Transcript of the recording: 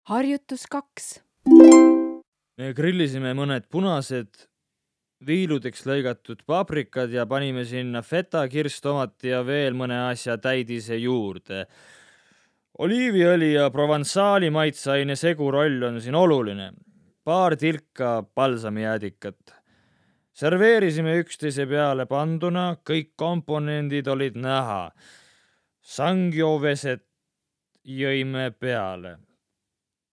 Harjutus 2. Me grillisime mõned punased viiludeks lõigatud paprikad ja panime sinna feta, kirstomati ja veel mõne asja täidise juurde. Oliiviõli ja provensaali maitseaine seguroll on siin oluline. Paar tilka balsamijäädikat. Serveerisime üksteise peale panduna, kõik komponendid olid näha. Sanggioveset jõime peale.